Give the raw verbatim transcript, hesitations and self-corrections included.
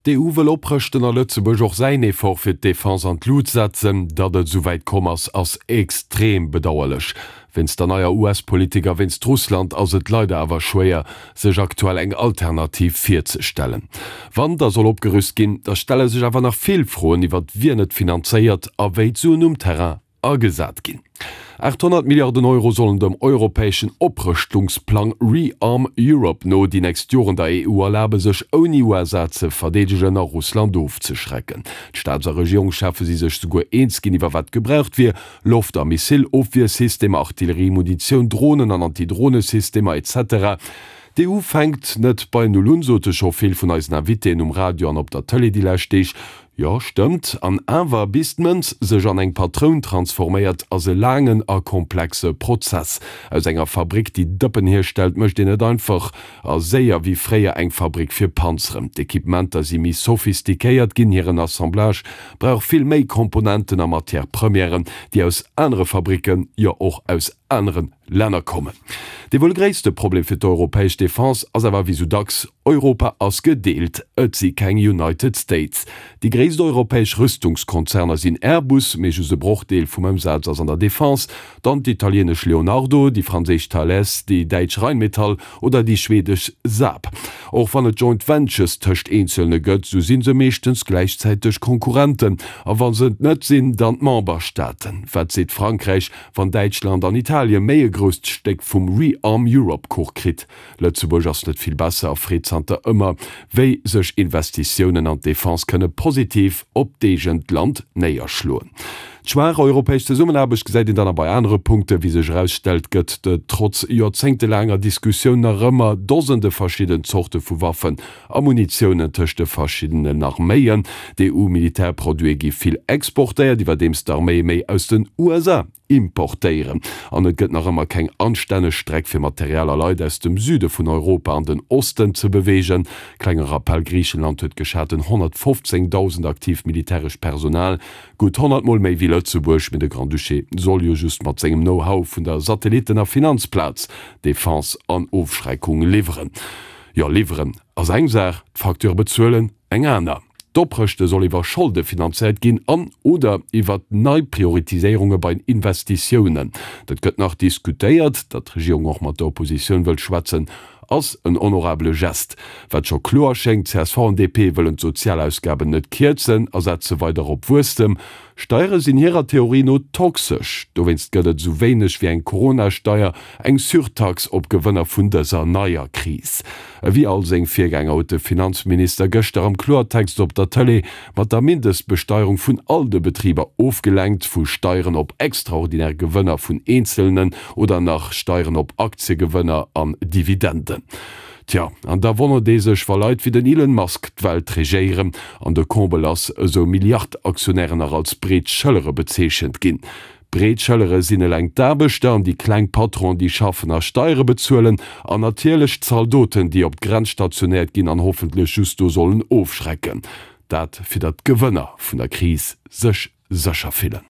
D'EU wëll oprëschten a Lëtzebuerg och säin Effort fir d'Defense an d'Lut setzen. Datt et esouwäit komm ass, ass extrem bedauerlech. Wéinst der neier US-Politik a wéinst Russland ass et leider awer schwéier, sech aktuell eng Alternativ virzestellen. Wann da soll opgerüst ginn, da stelle sech awer nach vill Froen iwwert wien et finanzéiert a wéi d'Suen um Terrain agesat ginn. achthonnert Milliarden Euro sollen dem europäeschen Oprëschtungsplang ReArm Europe no déi nächst Joren der E U erlabe sech ouni U S A ze verdeedegen a Russland ofzeschrecken. D'Staats a Regierungscheffe si sech souguer eens ginn iwwer wat gebraucht wier, Loft a Missilofwiersystemer, Artillerie, Munitioun, Dronen an Antidronesystemer et cetera. D'E U fänkt net bei Null un, sote scho vill vun eisen Invitéen um Radio an op der Tëlee déi lescht Deeg. Jo, stëmmt, an awer, bis d'Mënz sech an eng Patroun transforméiert, ass e laangen a komplexe Prozess. Aus enger Fabrik, déi Dëppen hierstellt, mécht een net einfach a séier wéi fréier eng Fabrik fir Panzeren. D'Equipementer si méi sophistiquéiert ginn, hiren Assemblage brauch vill méi Komponenten a Matière premièren, déi aus anere Fabricken, jo och aus anere Länner kommen. Dee wuel gréisste Problem fir d'europäesch Defense ass awer wéi sou dacks, Europa ass gedeelt, et si keng United States. Déi gréisst europäesch Rüstungskonzerner sinn Airbus, mee just e Brochdeel vum Ëmsaz ass an der Defense, dann d'italienesch Leonardo, déi franséisch Thales, déi däitsch Rheinmetall oder déi schwedesch Saab. Och wann et Joint Ventures tëscht eenzelne gëtt, sou si se meeschtens gläichzäiteg Konkurrenten, a wa se et net sinn, dann d'Memberstaaten. Wat seet Frankräich, wann Däitschland an Italie méi e grousst Stéck vum ReArm Europe Kuch kritt? Lëtzebuerg ass net vill besser a freet zanter ëmmer, wéi sech Investitiounen an d'Defense kënne positiv op d'eegent Land néierschloen. D'schwaach europäesch Zesummenaarbecht gesäit een dann a bei anere Punkten. Wéi sech erausstellt, gëtt et trotz joerzéngtelaanger Diskussioun nach ëmmer Dosende verschidden Zorte vu Waffen a Munitiounen tëscht de verschiddenen Arméien. D'E U-Militärproduite gi vill exportéiert, iwwerdeems d'Arméie méi aus den U S A importéieren. An et gëtt nach ëmmer keng anstänneg Streck fir Material a Leit aus dem Süde vun Europa an den Osten ze beweegen. Klenge Rappell, Griichenland huet geschaten honnertfofzéngdausend aktiivt militärescht Personal, gutt honnert Mol méi wéi Lëtzebuerg, mee de Grand-Duché soll jo just mat sengem Know-how vun der Satellitten a Finanzplaz Defense an Ofschreckung liwweren. Jo, liwweren ass eng Saach, d'Facture bezuelen eng aner. D'Oprëschte soll iwwer Scholde finanzéiert ginn an oder iwwer nei Prioritiséierunge bei Investitiounen. Dat gëtt nach diskutéiert. Datt d'Regierung och mat der Oppositioun wëllt schwätzen, ass en honorabele Gest. Wat scho kloer schéngt, C S V an D P wëllen d'Sozialausgaben net kierzen a setze weider op Wuesstem. Steiere sinn hirer Theorie no toxesch. Dowéinst gëtt et sou wéineg wéi eng Corona-Steier, eng Surtax op Gewënner vun dëser neier Kris. Ewéi all seng Virgänger huet de Finanzminister gëschter am Kloertext op der Tëlee mat der Mindestbesteierung vun all de Betriber ofgelenkt, vu Steieren op extraordinär Gewënner vun Eenzelnen oder nach Steieren op Aktiegewënner an Dividenden. Tja, an da wonnert ee sech, wa Leit wéi den Elon Musk d'Welt regéieren an de Comble ass, esou Milliard-Aktionären nach als breet Schëllere bezeechent ginn. Breet Schëllere sinn eleng d'Aarbechter an déi kleng Patronen, déi schaffen a Steiere bezuelen, an natierlech d'Zaldoten, déi op d'Grenz stationéiert ginn an hoffentlech just do sollen ofschrecken. Dat fir datt d'Gewënner vun der Kris sech sécher fillen.